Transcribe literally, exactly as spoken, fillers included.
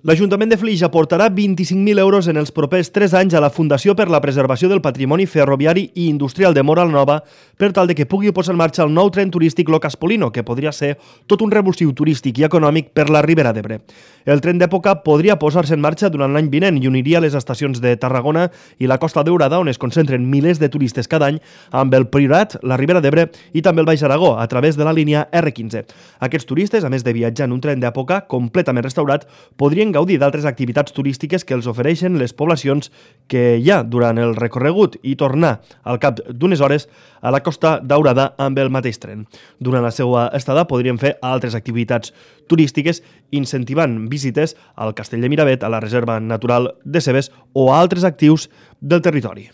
L'Ajuntament de Flix aportarà vint-i-cinc mil euros en els propers tres anys a la Fundació per la Preservació del Patrimoni Ferroviari i Industrial de Móra la Nova per tal de que pugui posar en marxa el nou tren turístic Locas Polino, que podria ser tot un revulsiu turístic i econòmic per la Ribera d'Ebre. El tren d'època podria posar-se en marxa durant l'any vinent i uniria les estacions de Tarragona i la Costa Daurada, on es concentren milers de turistes cada any, amb el Priorat, la Ribera d'Ebre i també el Baix Aragó, a través de la línia erre quinze. Aquests turistes, a més de viatjar en un tren d'època completament restaurat, podrien gaudir d'altres activitats turístiques que els ofereixen les poblacions que hi ha durant el recorregut i tornar al cap d'unes hores a la Costa Daurada amb el mateix tren. Durant la seva estada podrien fer altres activitats turístiques incentivant visites al Castell de Miravet, a la Reserva Natural de Cebes o a altres actius del territori.